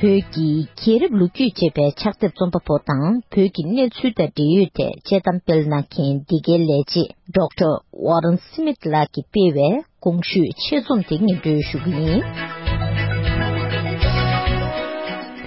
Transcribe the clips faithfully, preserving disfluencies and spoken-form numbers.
བོད་ཀྱི་རྒྱལ་རབས་ལོ་རྒྱུས་ཅེས་པའི་ཕྱག་དེབ་རྩོམ་པ་པོ་དང་། བོད་ཀྱི་གནས་ཚུལ་དང་འབྲེལ་ཡོད་ཐད་དཔྱད་གཏམ་སྤེལ་གནང་མཁན་འདི་གའི་ལས་བྱེད་ཌོག་ཊར་ཝོ་རན་སི་མིད་ལགས་ཀྱིས་སྤེལ་བའི་གོང་ཞུས་ཆེད་རྩོམ་དེ་སྙན་སྒྲོན་ཞུ་གི་ཡིན།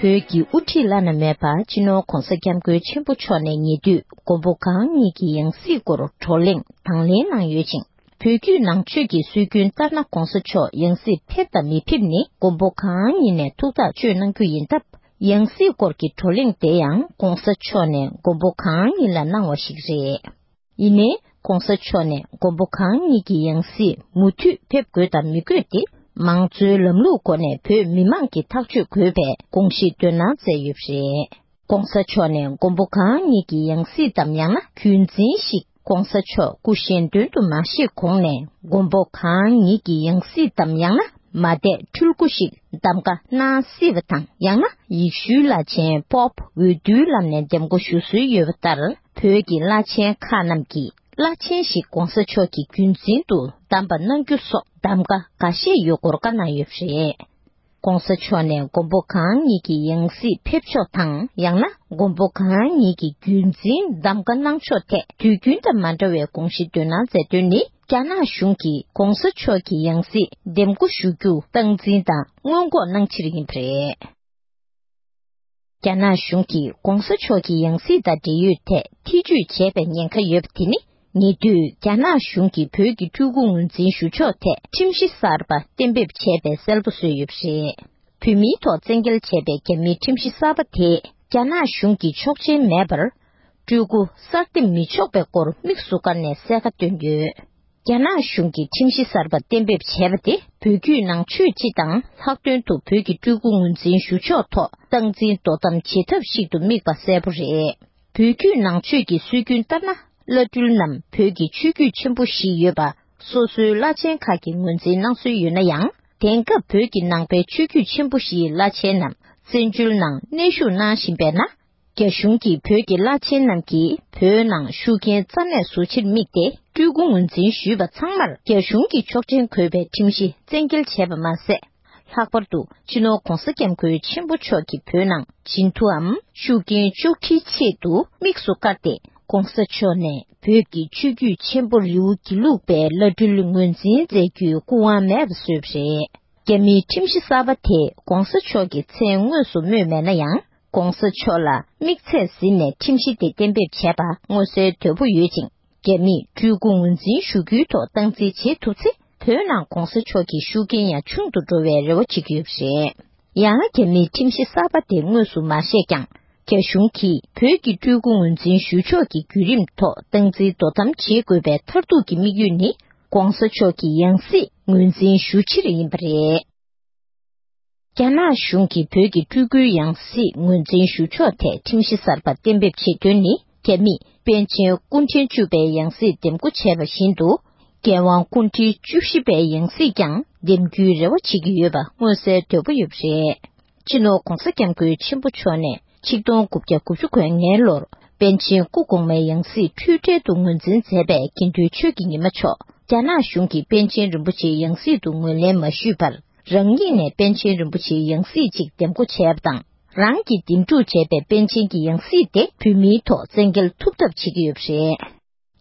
བོད་ཀྱི་དབུ་ཁྲིད་བླ་ན་མེད་པ་སྤྱི་ནོར་༧གོང་ས་༧སྐྱབས་མགོན་ཆེན་པོ་མཆོག་ནས་ཉེ་དུས་མགོན་པོ་གང་ཉིད་ཀྱི་ཡང་སྲིད་སྐོར་བགྲོ་གླེང་དང་ལེན་གནང་ཡོད་ཅིང་། བོད་བརྒྱུད་ནང་ཆོས་ཀྱི་སྲོལ་རྒྱུན་ལྟར་ན་༧གོང་ས་མཆོག་ཡང་སྲིད་ཕེབས་དང་མི་ཕེབས་ནི་མགོན་པོ་གང་ཉིད་ནས་ཐུགས་ཐག་གཅོད་གནང་རྒྱུ་ཡིན་སྟབས། ཡང་སྲིད་སྐོར་གྱི་བགྲོ་གླེང་དེ་ཡང་༧གོང་ས་མཆོག་ནས་མགོན་པོ་གང་ཉིད་ལ་གནང་བ་ཞིག་རེད། ཡིན་ནའི་༧གོང་ས་མཆོག་ནས་མགོན་པོ་གང་ཉིད་ཀྱི་ཡང་སྲིད་མུ་མཐུད་ཕེབས་དགོས་དང་མི་དགོས་དེ་མང་གཙོའི་ལམ་ལུགས་སྒོ་ནས་བོད་མི་མང་གིས་ཐག་གཅོད་དགོས་པའི་དགོངས་གཞི་འདོན་གནང་མཛད་ཡོད་པ་རེད། ༸གོང་ས་མཆོག་ནས་མགོན་པོ་གང་ཉིད་ཀྱི་ཡང་སྲིད་དམ་ཡང་ན་རྒྱུན་འཛིན་ཞིག་༸གོང་ས་མཆོག་སྐུ་གཞན་དོན་དུ་མ་གཤེགས་གོང་ནས་མགོན་པོ་གང་ཉིད་ཀྱི་ཡང་སྲིད་དམ་ཡང་ན་མ་དད་འཁྲུལ་སྐུ་ཞིག་གདམ་ག་གནང་སྲིད་པ་དང་། ཡང་ན་ཡེ་ཤུའི་བླ་ཆེན་པོབ་འོས་བསྡུའི་ལམ་ནས་འདེམས་བསྐོ་ཞུ་སྲོལ་ཡོད་པ་ལྟར། བོད་ཀྱི་བླ་ཆེན་ཁག་རྣམས་ཀྱིས་བླ་ཆེན་ཞིག་༸གོང་ས་མཆོག་གིས་རྒྱུན་འཛིན་དུ་གདམ་པ་གནང་རྒྱུ་སོགས་གདམ་ག་འགའ་ཤས་ཡོད་སྐོར་བཀའ་གནང་ཡོད་པ་རེད། ༸གོང་ས་མཆོག་ནས་མགོན་པོ་གང་ཉིད་ཀྱི་ཡང་སྲིད་ཕེབས་ཕྱོགས་དང་། ཡང་ན་མགོན་པོ་གང་ཉིད་ཀྱི་རྒྱུན་འཛིན་གདམ་ག་གནང་ཕྱོགས་ཐད་དུས་རྒྱུན་དང་མ་འདྲ་བའི་དགོངས་གཞི་འདོན་གནང་མཛད་དོན་ནི། རྒྱ་ནག་གཞུང་གིས་༸གོང་ས་མཆོག་གི་ཡང་སྲིད་འདེམས་བསྐོ་ཞུ་རྒྱུ་སྟངས་འཛིན་དང་སྔོན་འགོག་གནང་ཕྱིར་ཡིན་པ་རེད། རྒྱ་ནག་གཞུང་གིས་༸གོང་ས་མཆོག་གི་ཡང་སྲིད་དང་འབྲེལ་ཡོད་ཐད་ཐེ་བྱུས་བྱས་པའི་ཉེན་ཁ་ཡོད་པ་དེ་ནི། ཉེ་དུས་རྒྱ་ནག་གཞུང་གིས་བོད་ཀྱི་སྤྲུལ་སྐུ་ངོས་འཛིན་ཞུ་ཕྱོགས་ཐད་ཁྲིམས་གཞི་གསར་པ་གཏན་འབེབས་བྱས་པའི་གསལ་པོ་བཟོས་ཡོད་པ་རེད། བོད་མིའི་ཐོག་བཙན་འགེལ་བྱས་པའི་རྒྱ་མིའི་ཁྲིམས་གཞི་གསར་པ་དེས་རྒྱ་ནག་གཞུང་གི་ཆོག་མཆན་མེད་པར། སྤྲུལ་སྐུ་གསར་འདེམས་མི་ཆོག་པའི་སྐོར་དམིགས་སུ་བཀར་ནས་གསལ་ཁ་བཏོན་ཡོད། རྒྱ་ནག་གཞུང་གིས་ཁྲིམས་གཞི་གསར་པ་གཏན་འབེབས་བྱས་པ་དེ་བོད་བརྒྱུད་ནང་ཆོས་སྤྱི་དང་ལྷག་དོན་དུ་བོད་ཀྱི་སྤྲུལ་སྐུ་ངོས་འཛིན་ཞུ་ཕྱོགས་ཐོག་སྟངས་འཛིན་དོ་དམ་བྱེད་ཐབས་ཤིག་ཏུ་དམིགས་པ་གསལ་པོ་རེད། བོད་བརྒྱུད་ནང་ཆོས་ཀྱི་སྲོལ་རྒྱུན་ལྟར་ན། བླ་སྤྲུལ་རྣམས་བོད་ཀྱི་ཆོས་བརྒྱུད་ཆེན་པོ་བཞི་ཡོད་པ། སོ་སོའི་བླ་ཆེན་ཁག་གི་ངོས་འཛིན་གནང་སྲོལ་ཡོད་ན་ཡང་། དེང་སྐབས་བོད་ཀྱི་ནང་པའི་ཆོས་བརྒྱུད་ཆེན་པོ་བཞིའི་བླ་ཆེན་རྣམས་བཙན་བྱོལ་ནང་གནས་བཞུགས་གནང་བཞིན་པས་ན། རྒྱ་གཞུང་གིས་བོད་ཀྱི་བླ་ཆེན་རྣམས་ཀྱིས་བོད་ནང་ཤུགས་རྐྱེན་རྩ་མེད་བཟོ་ཕྱིར་དམིགས་ཏེ། སྤྲུལ་སྐུ་ངོས་འཛིན་ཞུས་པ་ཚང་མར་རྒྱ་གཞུང་གི་ཆོག་མཆན་དགོས་པའི་ཁྲིམས་གཞི་བཙན་འགེལ་བྱས་པ་མ་ཟད། ལྷག་པར་དུ་སྤྱི་ནོར་༸གོང་ས་༸སྐྱབས་མགོན་ཆེན་པོ་མཆོག་གིས་བོད་ནང་སྦྱིན་བདག་གམ་ཤུགས་རྐྱེན་གཅོག་འཕྲིའི་ཆེད་དུ་དམིགས་སུ་བཀར་ཏེ། ༸གོང་ས་མཆོག་ནས་བོད་ཀྱི་ཆོས་བརྒྱུད་ཆེན་པོ་རི་བོ་དགེ་ལུགས་པའི་བླ་སྤྲུལ་ངོས་འཛིན་མཛད་རྒྱུའི་སྐུ་དབང་མེད་པ་བཟོས་པ་རེད། རྒྱ་མིའི་ཁྲིམས་གཞི་གསར་པ་དེས་༸གོང་ས་མཆོག་གི་མཚན་དངོས་སུ་སྨོས་མེད་ན་ཡང་། ༸གོང་ས་མཆོག་ལ་དམིགས་ཚད་ཟིན་ནས་ཁྲིམས་གཞི་དེ་གཏན་འབེབས་བྱས་པ་མངོན་གསལ་དོད་པོ་ཡོད་ཅིང་། རྒྱ་མིས་སྤྲུལ་སྐུ་ངོས་འཛིན་ཞུ་རྒྱུའི་ཐོག་སྟངས་འཛིན་བྱེད་ཐུབ་ཚེ། བོད་ནང་༸གོང་ས་མཆོག་གི་ཤུགས་རྐྱེན་ཡང་ཆུང་དུ་འགྲོ་བའི་རེ་བ་བྱེད་ཀྱི་ཡོད་པ་རེད། ཡང་རྒྱ་མིའི་ཁྲིམས་གཞི་གསར་པ་དེ་དངོས་སུ་མ་བཤད་ཀྱང་། རྒྱ་གཞུང་གིས་བོད་ཀྱི་སྤྲུལ་སྐུ་ངོས་འཛིན་ཞུ་ཕྱོགས་ཀྱི་བརྒྱུད་རིམ་ཐོག་སྟངས་འཛིན་དོ་དམ་བྱེད་དགོས་པའི་མཐར་ཐུག་གི་དམིགས་ཡུལ་ནི། ༸གོང་ས་མཆོག་གི་ཡང་སྲིད་ངོས་འཛིན་ཞུ་ཕྱིར་ཡིན་པ་རེད། རྒྱ་ནག་གཞུང་གིས་བོད་ཀྱི་སྤྲུལ་སྐུའི་ཡང་སྲིད་ངོས་འཛིན་ཞུ་ཕྱོགས་ཐད་ཁྲིམས་གཞི་གསར་པ་གཏན་འབེབས་བྱེད་དོན་ནི། རྒྱ་མིས་པཎ་ཆེན་སྐུ་ཕྲེང་བཅུ་པའི་ཡང་སྲིད་འདེམས་བསྐོ་བྱས་པ་བཞིན་དུ། རྒྱལ་དབང་སྐུ་ཕྲེང་བཅུ་བཞི་པའི་ཡང་སྲིད་ཀྱང་འདེམས་རྒྱུའི་རེ་བ་བྱེད་ཀྱི་ཡོད་པ་མངོན་གསལ་དོད་པོ་ཡོད་པ་རེད། སྤྱི་ནོར་༸གོང་ས་༸སྐྱབས་མགོན་ཆེན་པོ་མཆོག་ནས་ཆིག་སྟོང་དགུ་བརྒྱ་དགུ་བཅུ་གོ་ལྔའི་ལོར་པཎ་ཆེན་སྐུ་གོང་མའི་ཡང་སྲིད་འཁྲུལ་བྲལ་དུ་ངོས་འཛིན་མཛད་པའི་དགེ་འདུན་ཆོས་ཀྱི་ཉི་མ་མཆོག་རྒྱ་ནག་གཞུང་གིས་པཎ་ཆེན་རིན་པོ་ཆེའི་ཡང་སྲིད་དུ་ངོས་ལེན་མ་ཞུས་པར། རང་ཉིད་ནས་པཎ་ཆེན་རིན་པོ་ཆེའི་ཡང་སྲིད་ཅིག་འདེམས་བསྐོ་བྱས་པ་དང་། རང་གིས་འདེམས་སྒྲུག་བྱས་པའི་པཎ་ཆེན་གྱི་ཡང་སྲིད་དེ་བོད་མིའི་ཐོག་བཙན་འགེལ་ཐུབ་ཐབས་བྱེད་ཀྱི་ཡོད་པ་རེད།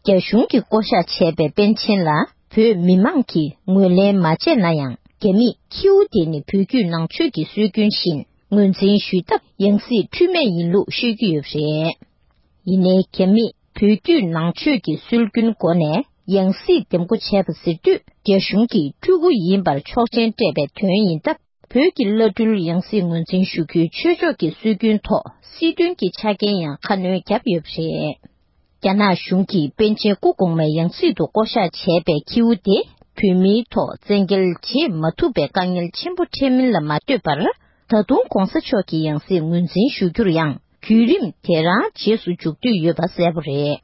རྒྱ་གཞུང་གིས་བསྐོ་གཞག་བྱས་པའི་པཎ་ཆེན་ལ་བོད་མི་མང་གིས་ངོས་ལེན་མ་བྱས་ན་ཡང་། རྒྱ་མིས་ཁྱེའུ་དེ་ནི་བོད་བརྒྱུད་ནང་ཆོས་ཀྱི་སྲོལ་རྒྱུན་བཞིན་ངོས་འཛིན་ཞུས་སྟབས། ཡང་སྲིད་འཁྲུལ་མེད་ཡིན་ལུགས་ཤོད་ཀྱི་ཡོད་པ་རེད། ཡིན་ནའི་རྒྱ་མིས་བོད་བརྒྱུད་ནང་ཆོས་ཀྱི་སྲོལ་རྒྱུན་སྒོ་ནས་ཡང་སྲིད་འདེམས་བསྐོ་བྱས་པ་ཟེར་དུས། རྒྱ་གཞུང་གིས་སྤྲུལ་སྐུ་ཡིན་པར་ཆོག་མཆན་སྤྲད་པའི་དོན་ཡིན་སྟབས། བོད་ཀྱི་བླ་སྤྲུལ་ཡང་སྲིད་ངོས་འཛིན་ཞུ་རྒྱུའི་ཆོས་ཕྱོགས་ཀྱི་སྲོལ་རྒྱུན་ཐོག་སྲིད་དོན་གྱི་ཆ་རྐྱེན་ཡང་ཁ་སྣོན་བརྒྱབ་ཡོད་པ་རེད། རྒྱ་ནག་གཞུང་གིས་པཎ་ཆེན་སྐུ་གོང་མའི་ཡང་སྲིད་དུ་བསྐོ་གཞག་བྱས་པའི་ཁྱེའུ་དེ་བོད་མིའི་ཐོག་བཙན་འགེལ་བྱེད་མ་ཐུབ་པའི་དཀའ་ངལ་ཆེན་པོ་འཕྲད་མིན་ལ་མ་ལྟོས་པར། ད་དུང་༸གོང་ས་མཆོག་གི་ཡང་སྲིད་ངོས་འཛིན་ཞུ་རྒྱུར་ཡང་བརྒྱུད་རིམ་དེ་རང་རྗེས་སུ་འཇུག་འདོད་ཡོད་པ་གསལ་པོ་རེད།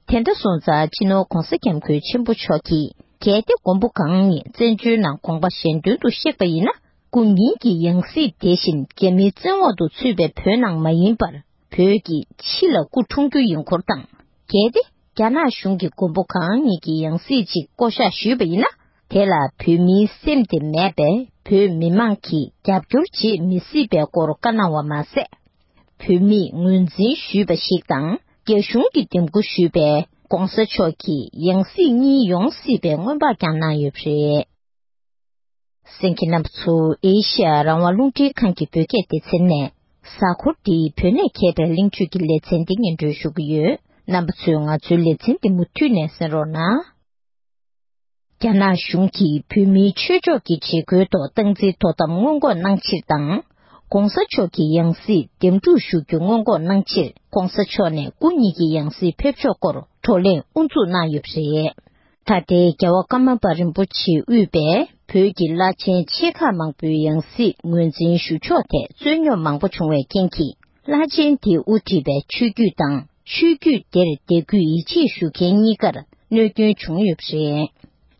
དེ་འདྲ་སོང་ཙང་། སྤྱི་ནོར་༸གོང་ས་༸སྐྱབས་མགོན་ཆེན་པོ་མཆོག་གིས། གལ་ཏེ་མགོན་པོ་གང་ཉིད་བཙན་བྱོལ་ནང་དགོངས་པ་གཞན་དོན་དུ་གཤེགས་པ་ཡིན་ན། སྐུ་ཉིད་ཀྱི་ཡང་སྲིད་དེ་བཞིན་རྒྱ་མིའི་བཙན་འོག་ཏུ་ཚུད་པའི་བོད་ནང་མ་ཡིན་པར། བོད་ཀྱི་ཕྱི་ལ་སྐུ་འཁྲུངས་རྒྱུ་ཡིན་སྐོར་དང་། གལ་ཏེ་རྒྱ་ནག་གཞུང་གིས་མགོན་པོ་གང་ཉིད་ཀྱི་ཡང་སྲིད་ཅིག་བསྐོ་གཞག་ཞུས་པ་ཡིན་ན། དེ་ལ་བོད་མིའི་སེམས་དེ་མེད་པས། བོད་མི་མང་གིས་རྒྱབ་སྐྱོར་བྱེད་མི་སྲིད་པའི་སྐོར་བཀའ་གནང་བ་མ་ཟད། བོད་མིས་ངོས་འཛིན་ཞུས་པ་ཞིག་དང་། རྒྱ་གཞུང་གིས་འདེམས་བསྐོ་ཞུས་པའི་༧གོང་ས་མཆོག་གི་ཡང་སྲིད་གཉིས་ཡོང་སྲིད་པའི་སྔོན་དཔག་ཀྱང་གནང་ཡོད་པ་རེད། གསན་མཁན་རྣམ་པ་ཚོ། ཨེ་ཤེ་ཡ་རང་དབང་རླུང་འཕྲིན་ཁང་གི་བོད་སྐད་སྡེ་ཚན་ནས། གཟའ་འཁོར་འདིའི་བོད་ནས་མཁས་པའི་གླེང་བརྗོད་ཀྱི་ལེ་ཚན་འདི་སྙན་སྒྲོན་ཞུ་གི་ཡོད། རྣམ་པ་ཚོས་ང་ཚོའི་ལེ་ཚན་འདི་མུ་མཐུད་ནས་གསན་རོགས་གནང་། རྒྱ་ནག་གཞུང་གིས་བོད་མིའི་ཆོས་ཕྱོགས་ཀྱི་བྱེད་སྒོའི་ཐོག་སྟངས་འཛིན་དོ་དམ་སྔོན་འགོག་གནང་ཕྱིར་དང་། ༧གོང་ས་མཆོག་གི་ཡང་སྲིད་འདེམས་སྒྲུག་ཞུ་རྒྱུ་སྔོན་འགོག་གནང་ཕྱིར། ༧གོང་ས་མཆོག་ནས་སྐུ་ཉིད་ཀྱི་ཡང་སྲིད་ཕེབས་ཕྱོགས་སྐོར་བགྲོ་གླེང་དབུ་འཛུགས་གནང་ཡོད་པ་རེད། ད་ལྟའི་རྒྱལ་བ་ཀརྨ་པ་རིན་པོ་ཆེས་དབུས་པའི་བོད་ཀྱི་བླ་ཆེན་ཆེ་ཁག་མང་པོའི་ཡང་སྲིད་ངོས་འཛིན་ཞུ་ཕྱོགས་ཐད་རྩོད་རྙོག་མང་པོ་བྱུང་བའི་རྐྱེན་གྱིས། བླ་ཆེན་དེས་དབུ་ཁྲིད་པའི་ཆོས་བརྒྱུད་དང་། ཆོས་བརྒྱུད་དེར་དད་གུས་ཡིད་ཆེས་ཞུ་མཁན་གཉིས་ཀར་གནོད་སྐྱོན་བྱུང་ཡོད་པ་རེད།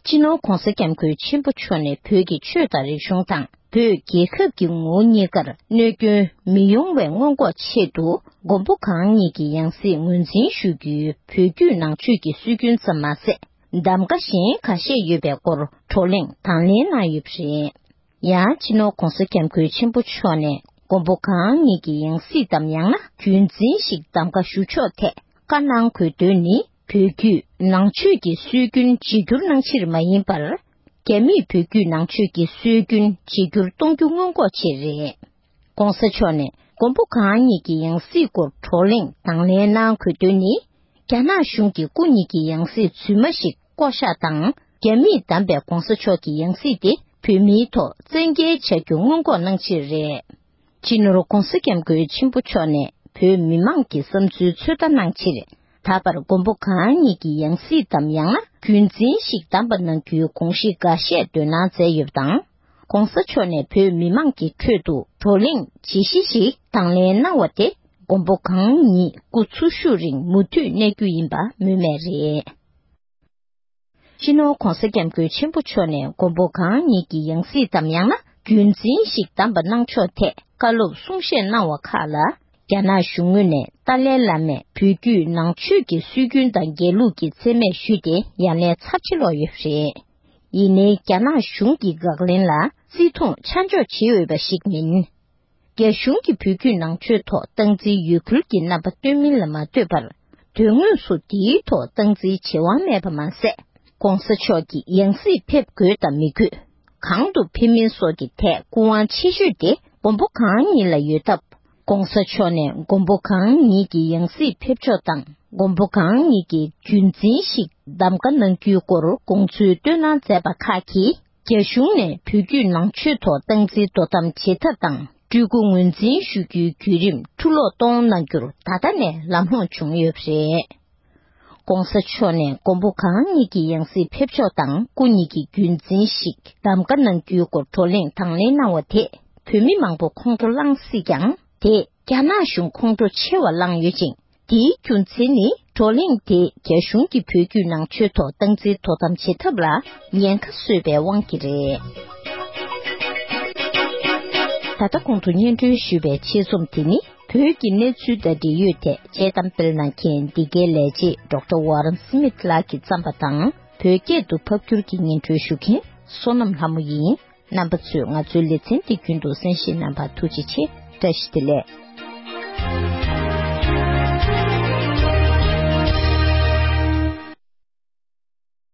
སྤྱི་ནོར་ྋགོང་ས་ྋསྐྱབས་མགོན་ཆེན་པོ་མཆོག་ནས་བོད་ཀྱི་ཆོས་དང་རིག་གཞུང་དང་། བོད་རྒྱལ་ཁབ་ཀྱི་ངོ་བོ་གཉིས་ཀར་གནོད་སྐྱོན་མི་ཡོང་བའི་སྔོན་འགོག་ཆེད་དུ། མགོན་པོ་གང་ཉིད་ཀྱི་ཡང་སྲིད་ངོས་འཛིན་ཞུ་རྒྱུའི་བོད་བརྒྱུད་ནང་ཆོས་ཀྱི་སྲོལ་རྒྱུན་ཙམ་མ་ཟད། གདམ་ག་གཞན་ཁ་ཤས་ཡོད་པའི་སྐོར་བགྲོ་གླེང་དང་ལེན་གནང་ཡོད་པ་རེད། ཡང་། སྤྱི་ནོར་ྋགོང་ས་ྋསྐྱབས་མགོན་ཆེན་པོ་མཆོག་ནས་མགོན་པོ་གང་ཉིད་ཀྱི་ཡང་སྲིད་དམ། ཡང་ན་རྒྱུན་འཛིན་ཞིག་གདམ་ག་ཞུ་ཕྱོགས་ཐད་བཀའ་གནང་དགོས་དོན་ནི། བོད་བརྒྱུད་ནང་ཆོས་ཀྱི་སྲོལ་རྒྱུན་བརྗེ་བསྒྱུར་གནང་ཕྱིར་མ་ཡིན་པར། རྒྱ་མིས་བོད་བརྒྱུད་ནང་ཆོས་ཀྱི་སྲོལ་རྒྱུན་བརྗེ་བསྒྱུར་གཏོང་རྒྱུ་སྔོན་འགོག་ཆེད་རེད། ྋགོང་ས་མཆོག་ནས་མགོན་པོ་གང་ཉིད་ཀྱི་ཡང་སྲིད་སྐོར་བགྲོ་གླེང་དང་ལེན་གནང་དགོས་དོན་ནི། རྒྱ་ནག་གཞུང་གིས་སྐུ་ཉིད་ཀྱི་ཡང་སྲིད་རྫུན་མ་ཞིག་བསྐོ་བཞག་དང་། རྒྱ་མིས་བདམས་པའི་ྋགོང་ས་མཆོག་གི་ཡང་སྲིད་དེ་བོད་མིའི་ཐོག་བཙན་འགེལ་བྱ་རྒྱུ་སྔོན་འགོག་གནང་ཕྱིར་རེད། སྤྱི་ནོར་ྋགོང་ས་ྋསྐྱབས་མགོན་ཆེན་པོ་མཆོག་ནས་བོད་མི་མང་གི་བསམ་ཚུལ་ཚོད་ལྟ་གནང་ཕྱིར། ད་བར་མགོན་པོ་གང་ཉིད་ཀྱི་ཡང་སྲིད་དམ། ཡང་ན་རྒྱུན་འཛིན་ཞིག་བདམས་པ་གནང་རྒྱུའི་དགོངས་གཞི་འགའ་ཤས་འདོན་གནང་མཛད་ཡོད་པ་དང་། ྋགོང་ས་མཆོག་ནས་བོད་མི་མང་གི་ཁྲོད་དུ་བགྲོ་གླེང་བརྗེ་གཞི་ཞིག་དང་ལེན་གནང་བ་དེ། མགོན་པོ་གང་ཉིད་སྐུ་འཚོ་བཞུགས་རིང་མུ་མཐུད་གནས་རྒྱུ་ཡིན་པ་སྨོས་མེད་རེད། སྤྱི་ནོར་ྋགོང་ས་ྋསྐྱབས་མགོན་ཆེན་པོ་མཆོག་ནས་མགོན་པོ་གང་ཉིད་ཀྱི་ཡང་སྲིད་དམ། ཡང་ན་རྒྱུན་འཛིན་ཞིག་བདམས་པ་གནང་ཕྱོགས་ཐད་བཀའ་སློབ་གསུང་བཤད་གནང་བ་ཁག་ལ། རྒྱ་ནག་གཞུང་ངོས་ནས་ཏཱ་ལའི་བླ་མས་བོད་བརྒྱུད་ནང་ཆོས་ཀྱི་སྲོལ་རྒྱུན་དང་འགལ་ལུགས་ཀྱི་མཚན་སྨད་ཞུས་ཏེ། ཡ་ལན་ཚབས་ཆེ་སློག་ཡོད་པ་རེད། ཡིན་ནའི་རྒྱ་ནག་གཞུང་གི་དགག་ལན་ལ་བརྩི་མཐོང་ཆ་འཇོག་བྱེད་འོས་པ་ཞིག་མིན། རྒྱ་གཞུང་གིས་བོད་བརྒྱུད་ནང་ཆོས་ཐོག་སྟངས་འཛིན་ཡོད་ཁུལ་གྱི་རྣམ་པ་སྟོན་མིན་ལ་མ་ལྟོས་པར། དོན་དངོས་སུ་དེའི་ཐོག་སྟངས་འཛིན་བྱེད་དབང་མེད་པ་མ་ཟད། ྋགོང་ས་མཆོག་གི་ཡང་སྲིད་ཕེབས་དགོས་དང་མི་དགོས། གང་དུ་ཕེབས་མིན་སོགས་ཀྱི་ཐད་སྐུ་དབང་ཆེ་ཤོས་དེ་མགོན་པོ་གང་ཉིད་ལ་ཡོད་སྟབས། ྋགོང་ས་མཆོག་ནས་མགོན་པོ་གང་ཉིད་ཀྱི་ཡང་སྲིད་ཕེབས་ཕྱོགས་དང་། མགོན་པོ་གང་ཉིད་ཀྱི་རྒྱུན་འཛིན་ཞིག་གདམ་ག་གནང་རྒྱུའི་སྐོར་དགོངས་ཚུལ་བཏོན་གནང་མཛད་པ་ཁག་གིས། རྒྱ་གཞུང་ནས་བོད་བརྒྱུད་ནང་ཆོས་ཐོག་སྟངས་འཛིན་དོ་དམ་བྱེད་ཐབས་དང་། སྤྲུལ་སྐུ་ངོས་འཛིན་ཞུ་རྒྱུའི་བརྒྱུད་རིམ་འཁྲུ་སློག་གཏོང་གནང་རྒྱུར་ད་ལྟ་ནས་ལམ་ལྷོང་བྱུང་ཡོད་པ་རེད། ྋགོང་ས་མཆོག་ནས་མགོན་པོ་གང་ཉིད་ཀྱི་ཡང་སྲིད་ཕེབས་ཕྱོགས་དང་། སྐུ་ཉིད་ཀྱི་རྒྱུན་འཛིན་ཞིག་གདམ་ག་གནང་རྒྱུའི་སྐོར་བགྲོ་གླེང་དང་ལེན་གནང་བ་དེས། བོད་མི་མང་པོ་ཁོང་ཁྲོ་ལངས་སྲིད་ཀྱང་། དེས་རྒྱ་ནག་གཞུང་ཁོང་ཁྲོ་ཆེ་བ་བསླངས་ཡོད་ཅིང་། དེའི་རྒྱུ་མཚན་ནི། བགྲོ་གླེང་དེས་རྒྱ་གཞུང་གིས་བོད་བརྒྱུད་ནང་ཆོས་ཐོག་སྟངས་འཛིན་དོ་དམ་བྱེད་ཐབས་ལ་ཉེན་ཁ་བཟོས་པའི་དབང་གིས་རེད། ད་ལྟ་གོང་དུ་སྙན་སྒྲོན་ཞུས་པའི་ཆེད་རྩོམ་དེ་ནི། བོད་ཀྱི་གནས་ཚུལ་དང་འབྲེལ་ཡོད་ཐད་དཔྱད་གཏམ་སྤེལ་གནང་མཁན་འདི་གའི་ལས་བྱེད་ཌོག་ཊར་ཝ་རན་སི་མིད་ལགས་ཀྱིས་བརྩམས་པ་དང་། བོད་སྐད་དུ་ཕབ་བསྒྱུར་གྱིས་སྙན་སྒྲོན་ཞུ་མཁན་བསོད་ནམས་ལྷ་མོ་ཡིན། རྣམ་པ་ཚོས་ང་ཚོའི་ལེ་ཚན་འདི་རྒྱུན་དུ་གསན་བཞེས་གནང་བར་ཐུགས་རྗེ་ཆེ། བཀྲ་ཤིས་བདེ་ལེགས།